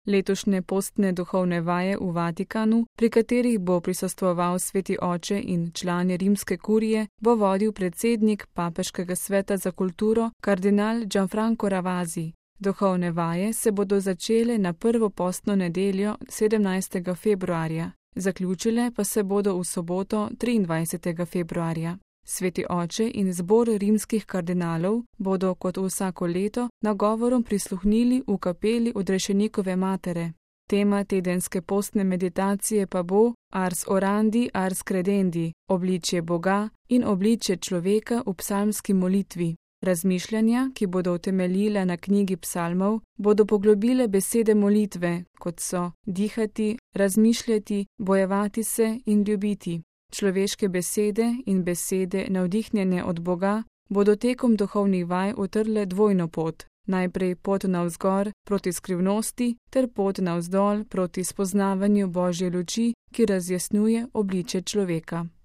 Letošnje postne duhovne vaje v Vatikanu, pri katerih bo prisostvoval Sveti oče in člani rimske kurije, bo vodil predsednik Papeškega sveta za kulturo kardinal Gianfranco Ravasi. Duhovne vaje se bodo začele na prvo postno nedeljo 17. februarja, zaključile pa se bodo v soboto 23. februarja. Sveti oče in zbor rimskih kardinalov bodo kot vsako leto nagovorom prisluhnili v kapeli Odrešenikove matere. Tema tedenske postne meditacije pa bo Ars orandi, ars credendi, obličje Boga in obličje človeka v psalmski molitvi. Razmišljanja, ki bodo utemeljila na knjigi psalmov, bodo poglobile besede molitve, kot so dihati, razmišljati, bojevati se in ljubiti. Človeške besede in besede navdihnjene od Boga bodo tekom duhovnih vaj utrle dvojno pot. Najprej pot navzgor proti skrivnosti ter pot navzdol proti spoznavanju Božje luči, ki razjasnjuje obličje človeka.